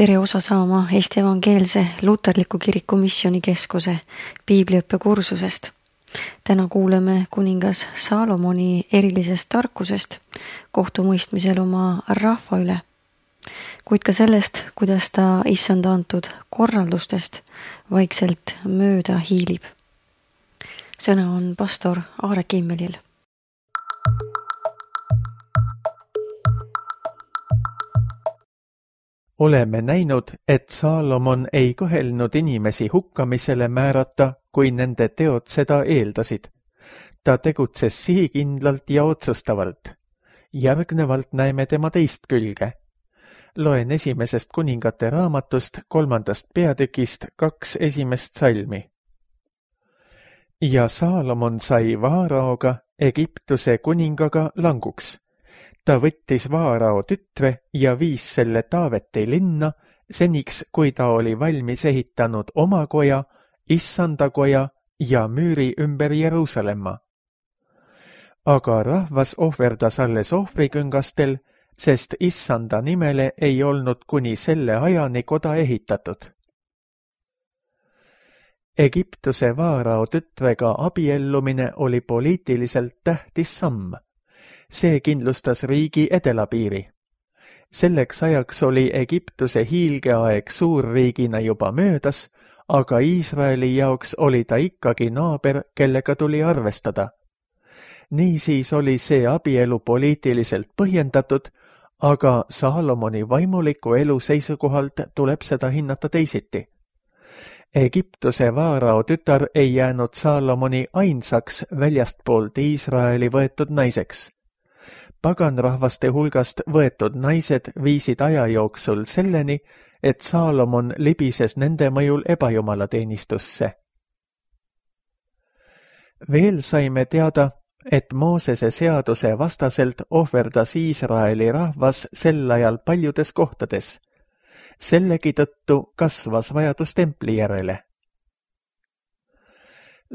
Tere osa saama Eesti Evangeelse Luterliku Kiriku Missioonikeskuse piibliõppe kursusest. Täna kuuleme kuningas Saalomoni erilisest tarkusest kohtumõistmisel oma rahva üle, kuid ka sellest, kuidas ta issanda antud korraldustest vaikselt mööda hiilib. Sõna on pastor Aare Kimmelil. Oleme näinud, et Saalomon ei kõhelnud inimesi hukkamisele määrata, kui nende teod seda eeldasid. Ta tegutses sihikindlalt ja otsustavalt. Järgnevalt näeme tema teist külge. Loen 1. kuningate raamatust 3. peatükist 2 esimest salmi. Ja Saalomon sai Vaaraoga, Egiptuse kuningaga languks. Ta võttis Vaarao tütre ja viis selle Taaveti linna, seniks kui ta oli valmis ehitanud oma koja, issanda koja ja müüri ümber Jeruusalemma. Aga rahvas ohverdas alles ohvriküngastel, sest issanda nimele ei olnud kuni selle ajani koda ehitatud. Egiptuse Vaarao tütrega abiellumine oli poliitiliselt tähtis samm. See kindlustas riigi edelapiiri. Selleks ajaks oli Egiptuse hiilgeaeg suurriigina juba möödas, aga Iisraeli jaoks oli ta ikkagi naaber, kellega tuli arvestada. Niisiis oli see abielu poliitiliselt põhjendatud, aga Saalomoni vaimuliku elu seisukohalt tuleb seda hinnata teisiti. Egiptuse Vaarao tütar ei jäänud Saalomoni ainsaks väljastpoolt Iisraeli võetud naiseks. Paganrahvaste hulgast võetud naised viisid aja jooksul selleni, et Saalomon libises nende mõjul ebajumalateenistusse. Veel saime teada, et Moosese seaduse vastaselt ohverdas Iisraeli rahvas sel ajal paljudes kohtades. Sellegi tõttu kasvas vajadus templi järele.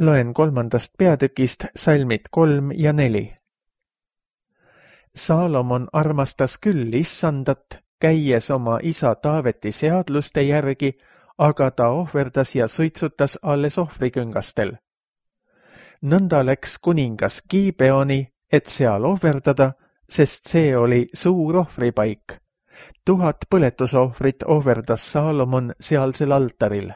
Loen 3. peatükist salmid 3 ja 4. Saalomon armastas küll issandat, käies oma isa Taaveti seadluste järgi, aga ta ohverdas ja suitsutas alles ohvriküngastel. Nõnda läks kuningas Gibeoni, et seal ohverdada, sest see oli suur ohvripaik. 1000 põletusohvrit ohverdas Saalomon sealsel altaril.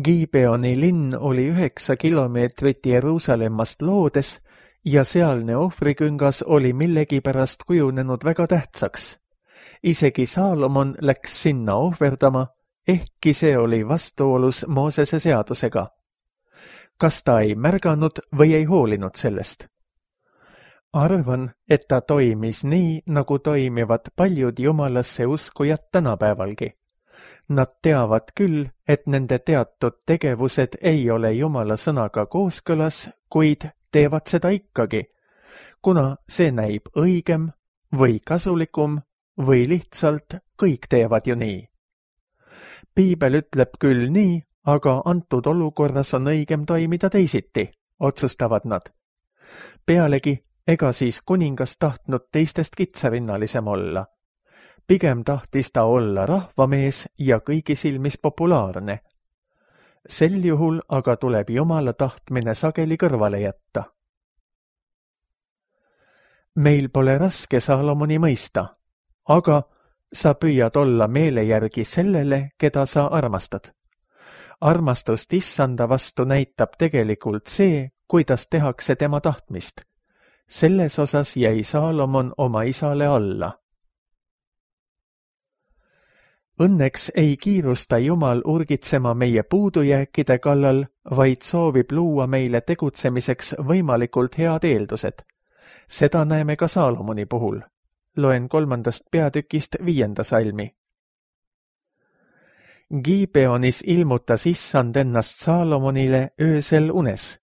Gibeoni linn oli 9 kilomeetrit Jeruusalemmast loodes, ja sealne ohvriküngas oli millegipärast kujunenud väga tähtsaks. Isegi Saalomon läks sinna ohverdama, ehkki see oli vastuolus Moosese seadusega. Kas ta ei märganud või ei hoolinud sellest? Arvan, et ta toimis nii, nagu toimivad paljud jumalasse uskujad tänapäevalgi. Nad teavad küll, et nende teatud tegevused ei ole jumala sõnaga kooskõlas, kuid teevad seda ikkagi, kuna see näib õigem või kasulikum või lihtsalt kõik teevad ju nii. Piibel ütleb küll nii, aga antud olukorras on õigem toimida teisiti, otsustavad nad. Pealegi, ega siis kuningas tahtnud teistest kitsarinnalisem olla. Pigem tahtis ta olla rahvamees ja kõigi silmis populaarne. Sel juhul aga tuleb Jumala tahtmine sageli kõrvale jätta. Meil pole raske Saalomoni mõista, aga sa püüad olla meele järgi sellele, keda sa armastad. Armastust issanda vastu näitab tegelikult see, kuidas tehakse tema tahtmist. Selles osas jäi Saalomon oma isale alla. Õnneks ei kiirusta Jumal urgitsema meie puudujääkide kallal, vaid soovib luua meile tegutsemiseks võimalikult head eeldused. Seda näeme ka Saalomoni puhul. Loen 3. peatükist 5. salmi. Gibeonis ilmutas issand ennast Saalomonile öösel unes.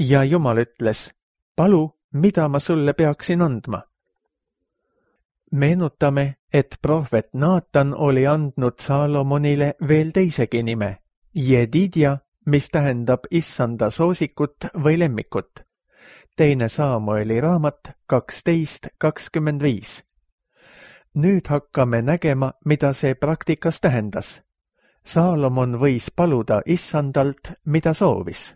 Ja Jumal ütles, palu, mida ma sulle peaksin andma? Meenutame, et prohvet Naatan oli andnud Saalomonile veel teisegi nime, Jedidja, mis tähendab issanda soosikut või lemmikut. 2. Saamueli raamat 12:25. Nüüd hakkame nägema, mida see praktikas tähendas. Saalomon võis paluda issandalt, mida soovis.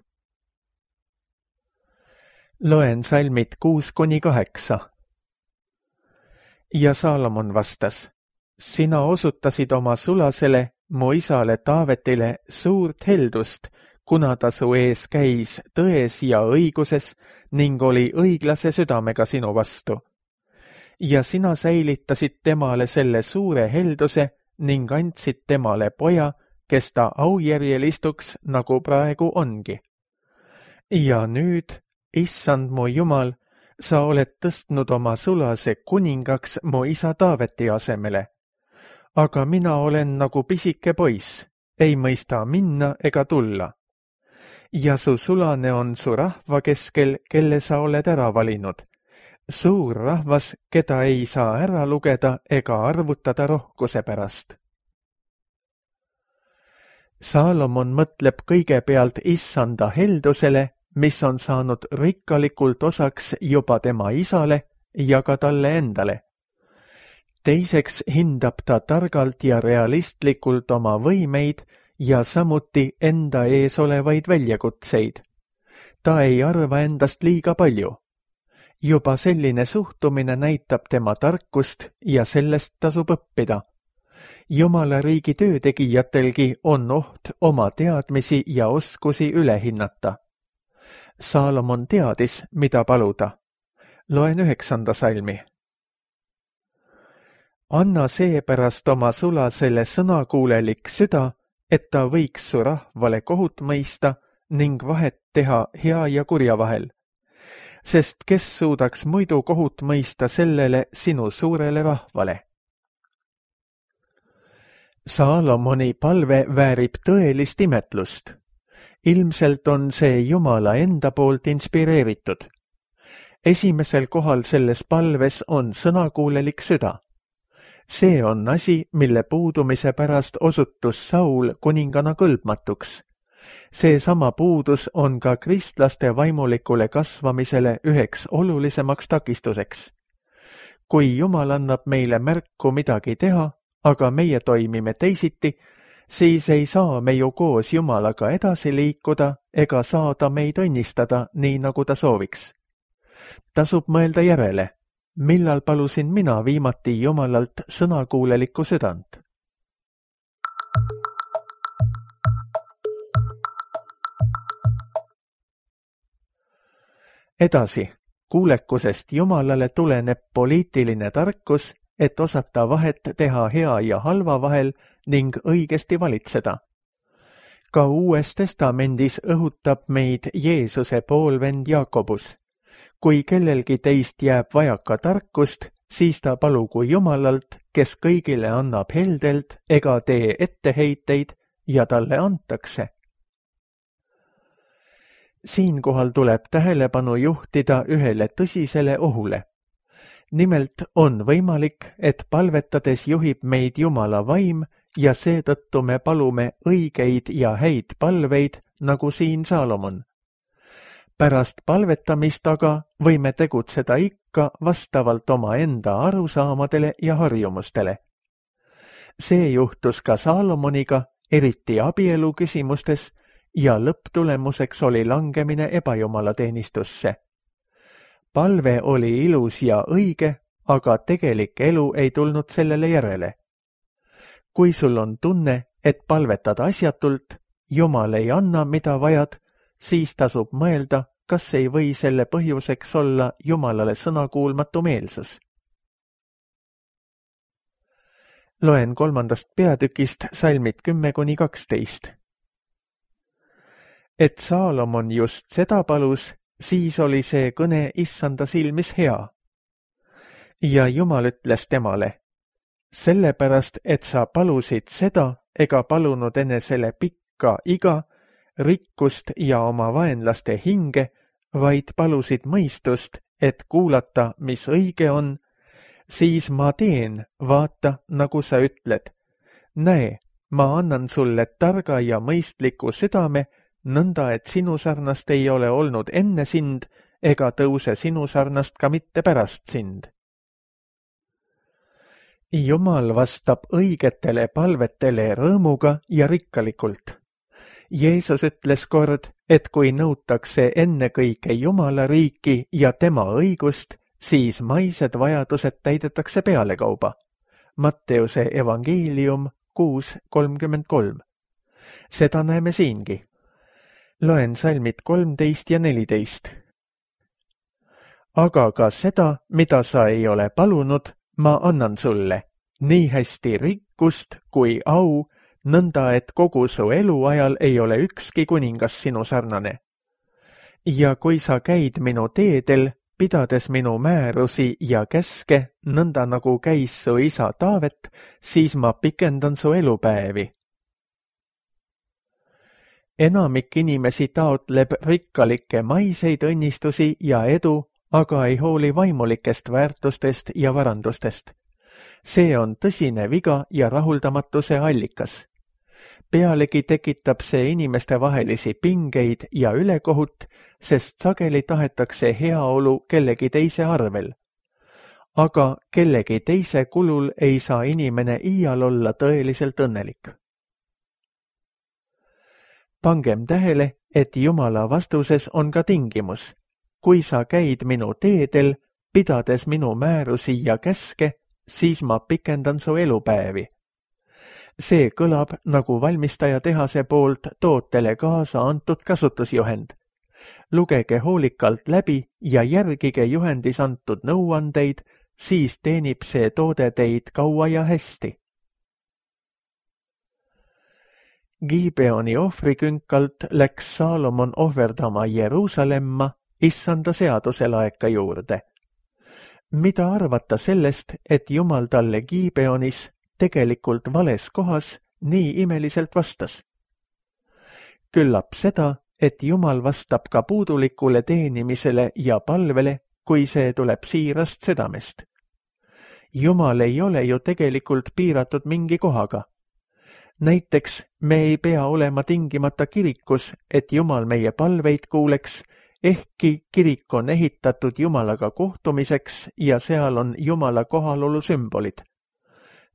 Loen salmid 6-8. Ja Saalomon vastas, sina osutasid oma sulasele, mu isale Taavetile suurt heldust, kuna ta su ees käis tões ja õiguses ning oli õiglase südamega sinu vastu. Ja sina säilitasid temale selle suure helduse ning andsid temale poja, kes ta aujärjel istuks, nagu praegu ongi. Ja nüüd, issand mu Jumal, sa oled tõstnud oma sulase kuningaks mu isa Taaveti asemele. Aga mina olen nagu pisike poiss, ei mõista minna ega tulla. Ja su sulane on su rahva keskel, kelle sa oled ära valinud. Suur rahvas, keda ei saa ära lugeda ega arvutada rohkuse pärast. Saalomon mõtleb kõigepealt issanda heldusele, mis on saanud rikkalikult osaks juba tema isale ja ka talle endale. Teiseks hindab ta targalt ja realistlikult oma võimeid ja samuti enda ees olevaid väljakutseid. Ta ei arva endast liiga palju. Juba selline suhtumine näitab tema tarkust ja sellest tasub õppida. Jumala riigi töötegijatelgi on oht oma teadmisi ja oskusi üle hinnata. Saalomon teadis, mida paluda. Loen 9. salmi. Anna seepärast oma sulasele sõnakuulelik süda, et ta võiks su rahvale kohut mõista ning vahet teha hea ja kurja vahel. Sest kes suudaks muidu kohut mõista sellele sinu suurele rahvale? Saalomoni palve väärib tõelist imetlust. Ilmselt on see Jumala enda poolt inspireeritud. Esimesel kohal selles palves on sõnakuulelik süda. See on asi, mille puudumise pärast osutus Saul kuningana kõlbmatuks. Seesama puudus on ka kristlaste vaimulikule kasvamisele üheks olulisemaks takistuseks. Kui Jumal annab meile märku midagi teha, aga meie toimime teisiti, siis ei saa me ju koos Jumalaga edasi liikuda ega saada meid õnnistada nii, nagu ta sooviks. Tasub mõelda järele, millal palusin mina viimati Jumalalt sõnakuulelikku südant. Edasi, kuulekusest Jumalale tuleneb poliitiline tarkus, et osata vahet teha hea ja halva vahel ning õigesti valitseda. Ka Uues Testamendis õhutab meid Jeesuse poolvend Jaakobus. Kui kellelgi teist jääb vajaka tarkust, siis ta palugu Jumalalt, kes kõigile annab heldelt ega tee etteheiteid ja talle antakse. Siinkohal tuleb tähelepanu juhtida ühele tõsisele ohule. Nimelt on võimalik, et palvetades juhib meid Jumala vaim ja seetõttu me palume õigeid ja häid palveid, nagu siin Saalomon. Pärast palvetamist aga võime tegutseda ikka vastavalt oma enda arusaamadele ja harjumustele. See juhtus ka Saalomoniga, eriti abielu küsimustes, ja lõpptulemuseks oli langemine ebajumalateenistusse. Palve oli ilus ja õige, aga tegelik elu ei tulnud sellele järele. Kui sul on tunne, et palvetad asjatult, Jumal ei anna, mida vajad, siis tasub mõelda, kas ei või selle põhjuseks olla Jumalale sõnakuulmatu meelsus. Loen 3. peatükist salmid 10-12. Et Saalomon just seda palus, siis oli see kõne issanda silmis hea. Ja Jumal ütles temale, sellepärast, et sa palusid seda ega palunud enesele pikka iga, rikkust ja oma vaenlaste hinge, vaid palusid mõistust, et kuulata, mis õige on, siis ma teen, vaata, nagu sa ütled. Näe, ma annan sulle targa ja mõistliku südame, nõnda, et sinu sarnast ei ole olnud enne sind ega tõuse sinu sarnast ka mitte pärast sind. Jumal vastab õigetele palvetele rõõmuga ja rikkalikult. Jeesus ütles kord, et kui nõutakse ennekõike Jumala riiki ja tema õigust, siis maised vajadused täidetakse pealekauba. Matteuse evangeelium 6:33. Seda näeme siingi. Loen salmid 13 ja 14. Aga ka seda, mida sa ei ole palunud, ma annan sulle, nii hästi rikkust kui au, nõnda et kogu su eluajal ei ole ükski kuningas sinu sarnane. Ja kui sa käid minu teedel, pidades minu määrusi ja käske, nõnda nagu käis su isa Taavet, siis ma pikendan su elupäevi. Enamik inimesi taotleb rikkalikke maiseid õnnistusi ja edu, aga ei hooli vaimulikest väärtustest ja varandustest. See on tõsine viga ja rahuldamatuse allikas. Pealegi tekitab see inimeste vahelisi pingeid ja ülekohut, sest sageli tahetakse heaolu kellegi teise arvel. Aga kellegi teise kulul ei saa inimene iial olla tõeliselt õnnelik. Pangem tähele, et Jumala vastuses on ka tingimus. Kui sa käid minu teedel, pidades minu määrusi ja käske, siis ma pikendan su elupäevi. See kõlab nagu valmistaja tehase poolt tootele kaasa antud kasutusjuhend. Lugege hoolikalt läbi ja järgige juhendis antud nõuandeid, siis teenib see toode teid kaua ja hästi. Gibeoni ohvrikünkalt läks Saalomon ohverdama Jeruusalemma issanda seaduse laeka juurde. Mida arvata sellest, et Jumal talle Gibeonis tegelikult vales kohas nii imeliselt vastas? Küllap seda, et Jumal vastab ka puudulikule teenimisele ja palvele, kui see tuleb siirast südamest. Jumal ei ole ju tegelikult piiratud mingi kohaga. Näiteks me ei pea olema tingimata kirikus, et Jumal meie palveid kuuleks, ehkki kirik on ehitatud Jumalaga kohtumiseks ja seal on Jumala kohalolu sümbolid.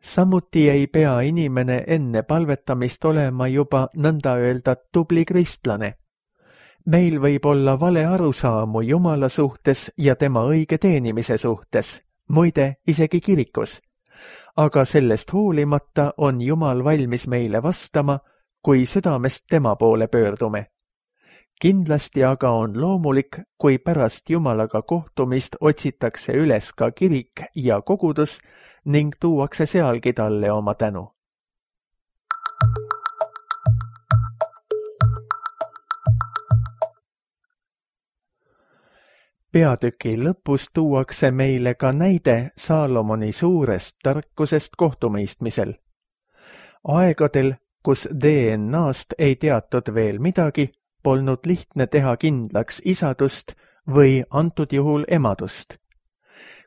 Samuti ei pea inimene enne palvetamist olema juba nõnda öelda tubli kristlane. Meil võib olla vale arusaamu Jumala suhtes ja tema õige teenimise suhtes, muide isegi kirikus. Aga sellest hoolimata on Jumal valmis meile vastama, kui südamest tema poole pöördume. Kindlasti aga on loomulik, kui pärast Jumalaga kohtumist otsitakse üles ka kirik ja kogudus ning tuuakse sealgi talle oma tänu. Peatüki lõpus tuuakse meile ka näide Saalomoni suurest tarkusest kohtumõistmisel. Aegadel, kus DNA-st ei teatud veel midagi, polnud lihtne teha kindlaks isadust või antud juhul emadust.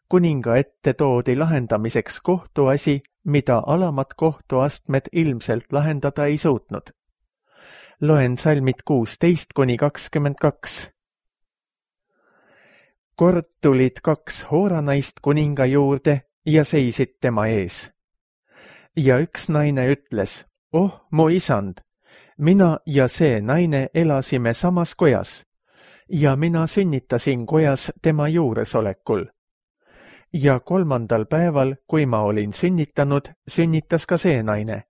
Kuninga ette toodi lahendamiseks kohtuasi, mida alamad kohtuastmed ilmselt lahendada ei suutnud. Loen salmid 16-22. Kord tulid 2 hooranaist kuninga juurde ja seisid tema ees. Ja üks naine ütles, oh, mu isand, mina ja see naine elasime samas kojas ja mina sünnitasin kojas tema juuresolekul. Ja 3. päeval, kui ma olin sünnitanud, sünnitas ka see naine.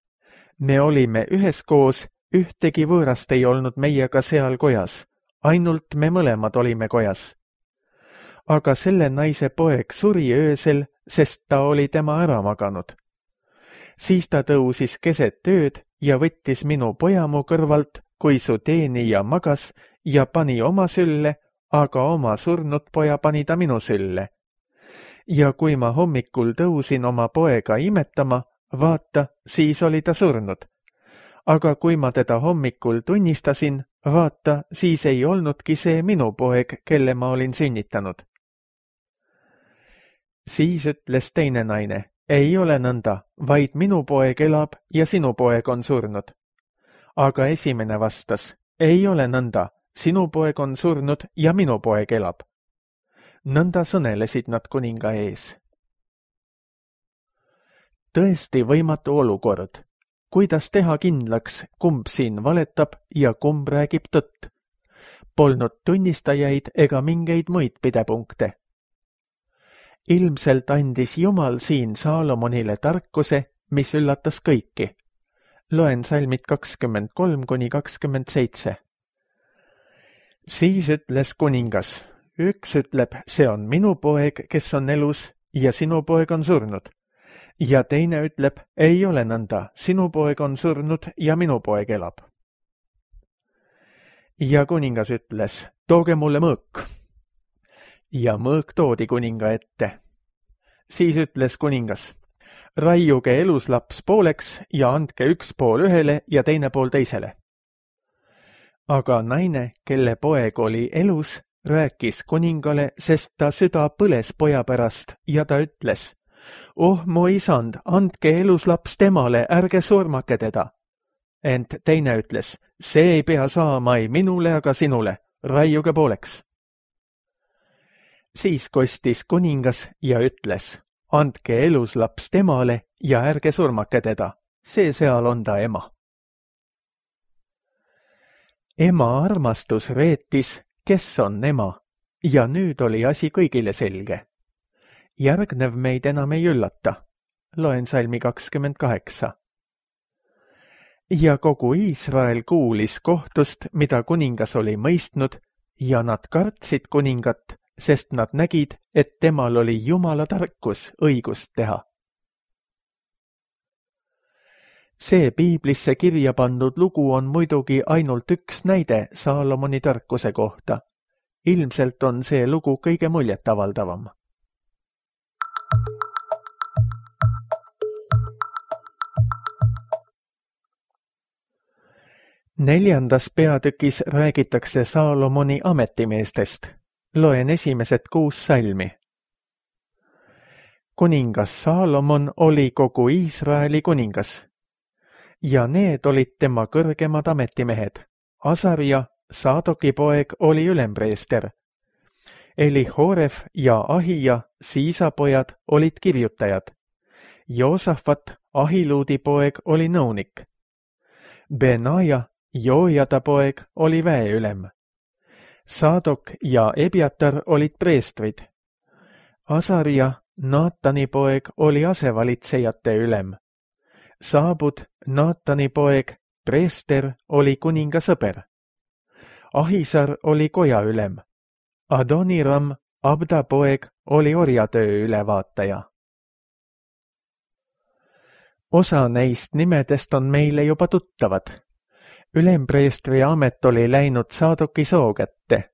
Me olime üheskoos, ühtegi võõrast ei olnud meiega seal kojas, ainult me mõlemad olime kojas. Aga selle naise poeg suri öösel, sest ta oli tema ära maganud. Siis ta tõusis keset ööd ja võttis minu poja mu kõrvalt, kui su teenija magas ja pani oma sülle, aga oma surnud poja pani ta minu sülle. Ja kui ma hommikul tõusin oma poega imetama, vaata, siis oli ta surnud. Aga kui ma teda hommikul tunnistasin, vaata, siis ei olnudki see minu poeg, kelle ma olin sünnitanud. Siis ütles teine naine, ei ole nõnda, vaid minu poeg elab ja sinu poeg on surnud. Aga esimene vastas, ei ole nõnda, sinu poeg on surnud ja minu poeg elab. Nõnda sõnelesid nad kuninga ees. tõesti võimatu olukord. Kuidas teha kindlaks, kumb siin valetab ja kumb räägib tõtt? Polnud tunnistajaid ega mingeid muid pidepunkte. Ilmselt andis Jumal siin Saalomonile tarkuse, mis üllatas kõiki. Loen salmid 23–27. Siis ütles kuningas, üks ütleb, see on minu poeg, kes on elus ja sinu poeg on surnud. Ja teine ütleb, ei ole nõnda, sinu poeg on surnud ja minu poeg elab. Ja kuningas ütles, tooge mulle mõõk. Ja mõõk toodi kuninga ette. Siis ütles kuningas, raiuge eluslaps pooleks ja andke üks pool ühele ja teine pool teisele. Aga naine, kelle poeg oli elus, rääkis kuningale, sest ta süda põles poja pärast ja ta ütles, oh mu isand, andke eluslaps temale, ärge surmake teda. Ent teine ütles, see ei pea saama ei minule, aga sinule, raiuge pooleks. Siis kostis kuningas ja ütles, andke eluslaps temale ja ärge surmake teda, see seal on ta ema. Ema armastus reetis, kes on ema, ja nüüd oli asi kõigile selge. Järgnev meid enam ei üllata. Loen salmi 28. Ja kogu Iisrael kuulis kohtust, mida kuningas oli mõistnud, ja nad kartsid kuningat, sest nad nägid, et temal oli Jumala tarkus õigust teha. See piiblisse kirja pandud lugu on muidugi ainult üks näide Saalomoni tarkuse kohta. Ilmselt on see lugu kõige muljetavaldavam. Neljandas peatükis räägitakse Saalomoni ametimeestest. Loen esimesed 6 salmi. Kuningas Saalomon oli kogu Iisraeli kuningas. Ja need olid tema kõrgemad ametimehed. Asaria, Saadoki poeg, oli ülempreester. Elihoref ja Ahija, Siisa pojad, olid kirjutajad. Joosafat, Ahiluudi poeg, oli nõunik. Benaja, Joojada poeg, oli väeülem. Saadok ja Ebiatar olid preestrid. Asaria, Naatani poeg, oli asevalitsejate ülem. Saabud, Naatani poeg, preester, oli kuninga sõber. Ahisar oli koja ülem. Adoniram, Abda poeg, oli orjatöö ülevaataja. Osa neist nimedest on meile juba tuttavad. Ülempreestri amet oli läinud Saadoki soo kätte.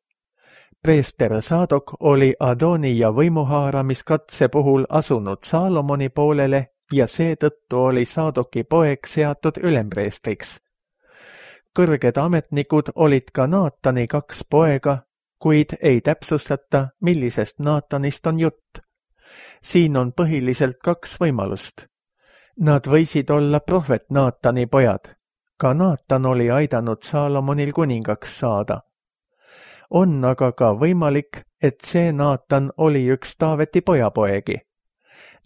Preester Saadok oli Adonija võimuhaaramiskatse puhul asunud Saalomoni poolele ja seetõttu oli Saadoki poeg seatud ülempreestriks. Kõrged ametnikud olid ka Naatani 2 poega, kuid ei täpsustata, millisest Naatanist on jutt. Siin on põhiliselt 2 võimalust. Nad võisid olla prohvet Naatani pojad. Ka Naatan oli aidanud Saalomonil kuningaks saada. On aga ka võimalik, et see Naatan oli üks Taaveti pojapoegi.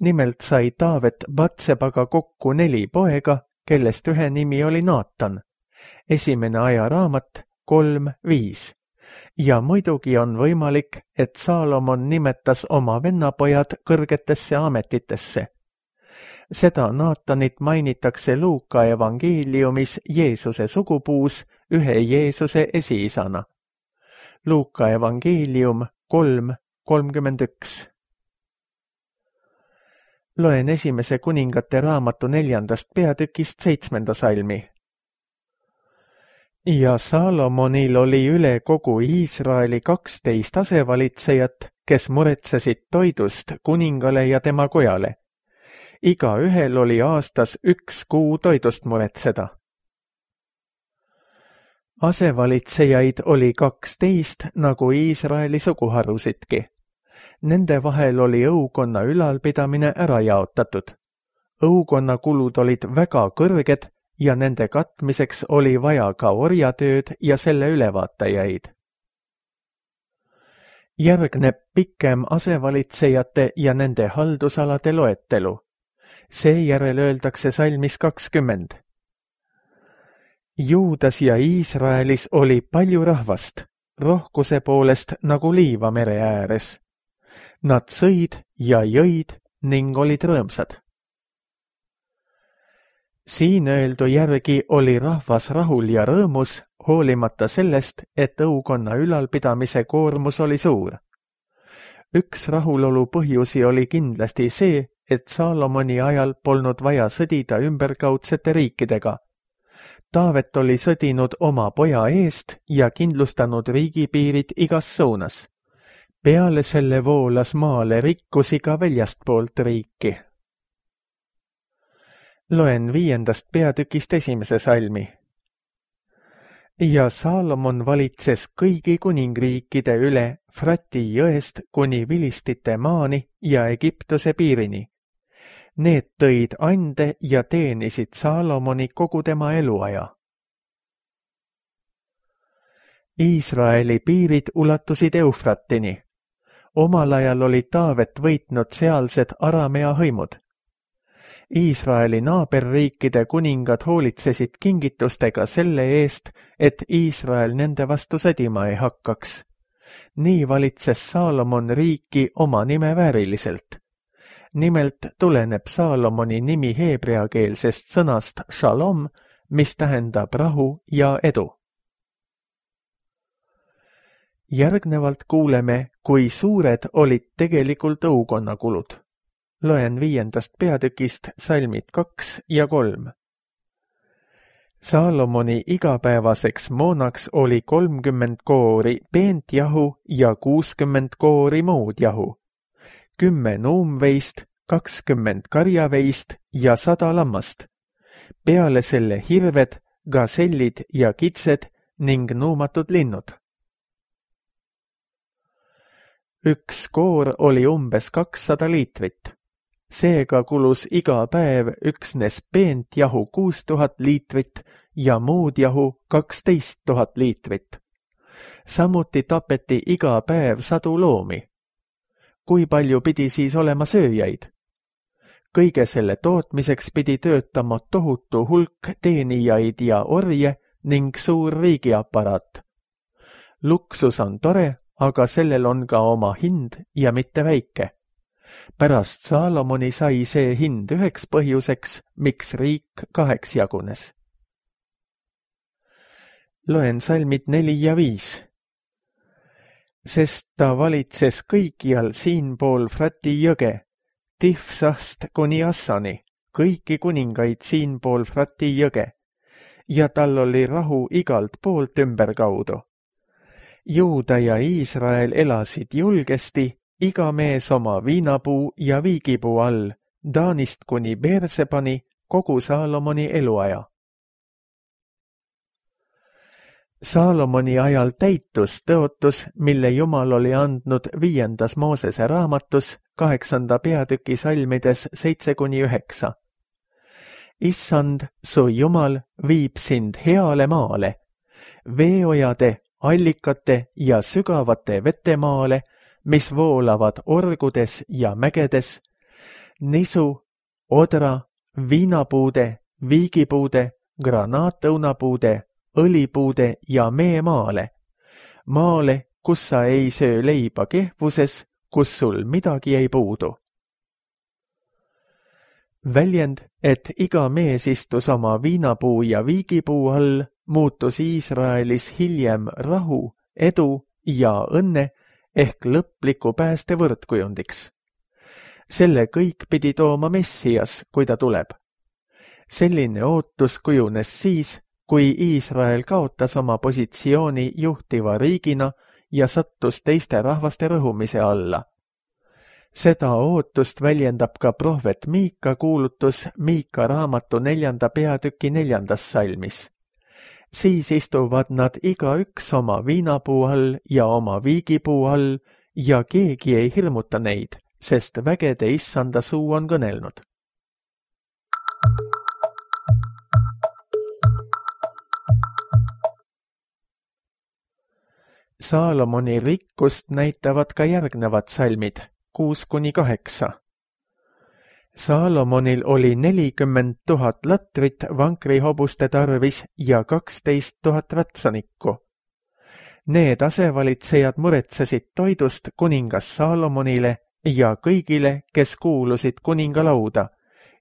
Nimelt sai Taavet Batsebaga kokku 4 poega, kellest ühe nimi oli Naatan. Esimene ajaraamat 3:5. Ja muidugi on võimalik, et Saalomon nimetas oma vennapojad kõrgetesse ametitesse. Seda Naatanit mainitakse Luuka evangeeliumis Jeesuse sugupuus ühe Jeesuse esiisana. Luuka evangeelium 3:31. Loen esimese kuningate raamatu 4. peatükist 7. salmi. Ja Saalomonil oli üle kogu Iisraeli 12 asevalitsejat, kes muretsesid toidust kuningale ja tema kojale. Igaühel oli aastas 1 kuu toidust muretseda. Asevalitsejaid oli 12 nagu Iisraeli suguharusidki. Nende vahel oli õukonna ülalpidamine ära jaotatud. Õukonna kulud olid väga kõrged ja nende katmiseks oli vaja ka orjatööd ja selle ülevaatajaid. Järgneb pikem asevalitsejate ja nende haldusalade loetelu. Seejärel öeldakse salmis 20. Juudas ja Iisraelis oli palju rahvast, rohkuse poolest nagu liiva mere ääres. Nad sõid ja jõid ning olid rõõmsad. Siin öeldu järgi oli rahvas rahul ja rõõmus, hoolimata sellest, et õukonna ülalpidamise koormus oli suur. Üks rahulolu põhjusi oli kindlasti see, et Saalomoni ajal polnud vaja sõdida ümberkaudsete riikidega. Taavet oli sõdinud oma poja eest ja kindlustanud riigipiirid igas suunas. Peale selle voolas maale rikkusi ka väljastpoolt riiki. Loen 5. peatükist 1. salmi. Ja Saalomon valitses kõigi kuningriikide üle Frati jõest kuni Vilistite maani ja Egiptuse piirini. Need tõid ande ja teenisid Saalomoni kogu tema eluaja. Iisraeli piirid ulatusid Eufratini. Omal ajal oli Taavet võitnud sealsed Aramea hõimud. Iisraeli naaberriikide kuningad hoolitsesid kingitustega selle eest, et Iisrael nende vastu sõdima ei hakkaks. Nii valitses Saalomon riiki oma nime vääriliselt. Nimelt tuleneb Saalomoni nimi heebreakeelsest sõnast shalom, mis tähendab rahu ja edu. Järgnevalt kuuleme, kui suured olid tegelikult õukonnakulud. Loen 5. peatükist salmid 2 ja 3. Saalomoni igapäevaseks moonaks oli 30 koori peent jahu ja 60 koori muud jahu, 10 nuumveist, 20 karjaveist ja 100 lammast. Peale selle hirved, gasellid ja kitsed ning nuumatud linnud. Üks koor oli umbes 200 liitrit. Seega kulus iga päev üksnes peent jahu 6000 liitrit ja muud jahu 12 000 liitrit. Samuti tapeti iga päev 100 loomi. Kui palju pidi siis olema sööjaid? Kõige selle tootmiseks pidi töötama tohutu hulk teenijaid ja orje ning suur riigiaparaat. Luksus on tore, aga sellel on ka oma hind ja mitte väike. Pärast Saalomoni sai see hind üheks põhjuseks, miks riik 2 jagunes. Loen salmid 4 ja 5. Sest ta valitses kõikjal siinpool Frati jõge, Tifsast kuni Assani, kõiki kuningaid siinpool Frati jõge, ja tal oli rahu igalt poolt ümberkaudu. Juuda ja Iisrael elasid julgesti, iga mees oma viinapuu ja viigipuu all, Taanist kuni Beersebani kogu Saalomoni eluaja. Saalomoni ajal täitus tõotus, mille Jumal oli andnud 5. Moosese raamatus 8. peatüki salmides 7-9. Issand, su Jumal viib sind heale maale, veeojade, allikate ja sügavate vetemaale, mis voolavad orgudes ja mägedes, nisu, odra, viinapuude, viigipuude, granaatõunapuude, õlipuude ja meemaale, maale, kus sa ei söö leiba kehvuses, kus sul midagi ei puudu. Väljend, et iga mees istus oma viinapuu ja viigipuu all, muutus Iisraelis hiljem rahu, edu ja õnne ehk lõpliku pääste võrdkujundiks. Selle kõik pidi tooma Messias, kui ta tuleb. Selline ootus kujunes siis, kui Iisrael kaotas oma positsiooni juhtiva riigina ja sattus teiste rahvaste rõhumise alla. Seda ootust väljendab ka prohvet Miika kuulutus Miika raamatu 4. peatüki 4. salmis. Siis istuvad nad igaüks oma viinapuu all ja oma viigipuu all ja keegi ei hirmuta neid, sest vägede issanda suu on kõnelnud. Saalomoni rikkust näitavad ka järgnevad salmid 6-8. Saalomonil oli 40 000 latrit vankrihobuste tarvis ja 12 000 rätsanikku. Need asevalitsejad muretsesid toidust kuningas Saalomonile ja kõigile, kes kuulusid kuningalauda,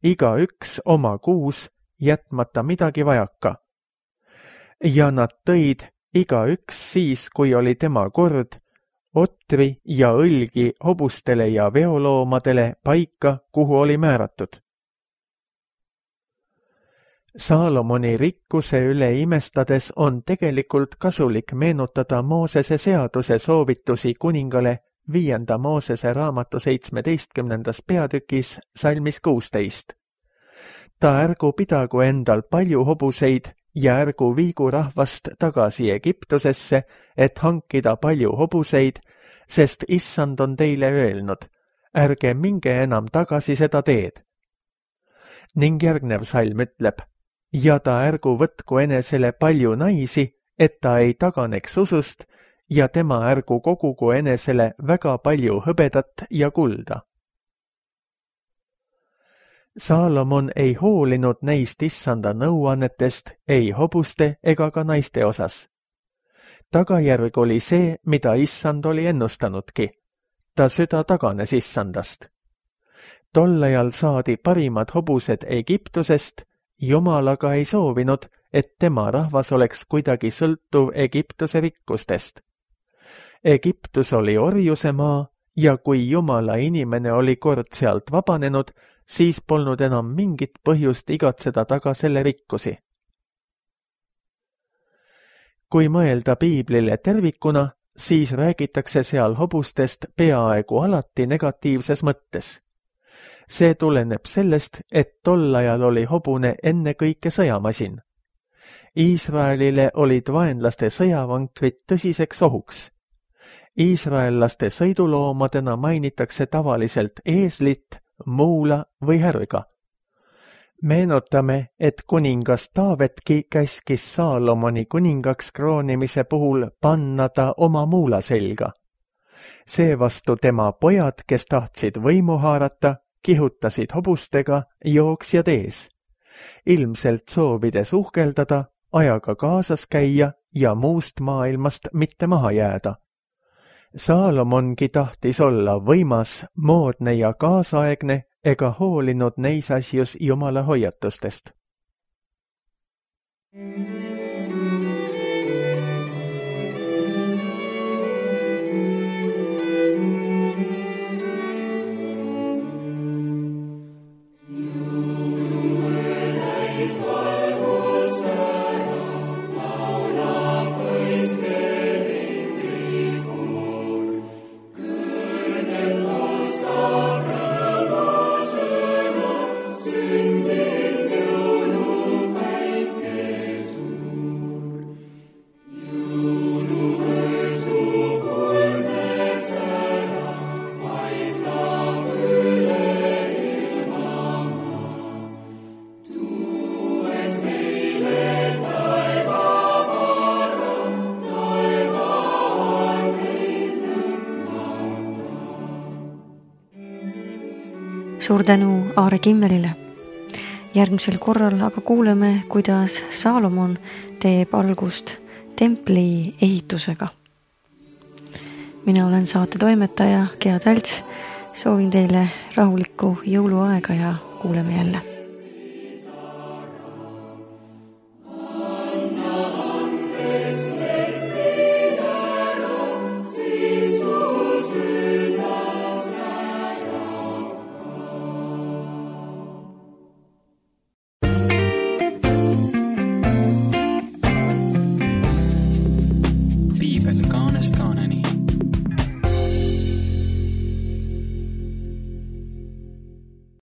igaüks oma kuus, jätmata midagi vajaka. Ja nad tõid igaüks siis, kui oli tema kord, otri ja õlgi hobustele ja veoloomadele paika, kuhu oli määratud. Saalomoni rikkuse üle imestades on tegelikult kasulik meenutada Moosese seaduse soovitusi kuningale 5. Moosese raamatu 17. peatükis salmis 16. Ta ärgu pidagu endal palju hobuseid ja ärgu viigu rahvast tagasi Egiptusesse, et hankida palju hobuseid, sest issand on teile öelnud, ärge minge enam tagasi seda teed. Ning järgnev salm ütleb, ja ta ärgu võtku enesele palju naisi, et ta ei taganeks usust, ja tema ärgu kogugu enesele väga palju hõbedat ja kulda. Saalomon ei hoolinud neist issanda nõuannetest ei hobuste ega ka naiste osas. Tagajärg oli see, mida issand oli ennustanudki. Ta süda taganes issandast. Tol ajal saadi parimad hobused Egiptusest, Jumal aga ei soovinud, et tema rahvas oleks kuidagi sõltuv Egiptuse rikkustest. Egiptus oli orjuse maa ja kui Jumala inimene oli kord sealt vabanenud, siis polnud enam mingit põhjust igatseda taga selle rikkusi. Kui mõelda piiblile tervikuna, siis räägitakse seal hobustest peaaegu alati negatiivses mõttes. See tuleneb sellest, et tol ajal oli hobune ennekõike sõjamasin. Iisraelile olid vaenlaste sõjavankrid tõsiseks ohuks. Iisraellaste sõiduloomadena mainitakse tavaliselt eeslit, muula või härga. Meenutame, et kuningas Taavetki käskis Saalomoni kuningaks kroonimise puhul panna ta oma muula selga. Seevastu tema pojad, kes tahtsid võimu haarata, kihutasid hobustega jooksjad ees. Ilmselt soovides uhkeldada, ajaga kaasas käia ja muust maailmast mitte maha jääda. Saalomongi tahtis olla võimas, moodne ja kaasaegne ega hoolinud neis asjus Jumala hoiatustest. Suur tänu Aare Kimmelile. Järgmisel korral aga kuuleme, kuidas Saalomon teeb algust templi ehitusega. Mina olen saate toimetaja Gea Tälts. Soovin teile rahulikku jõuluaega ja kuuleme jälle.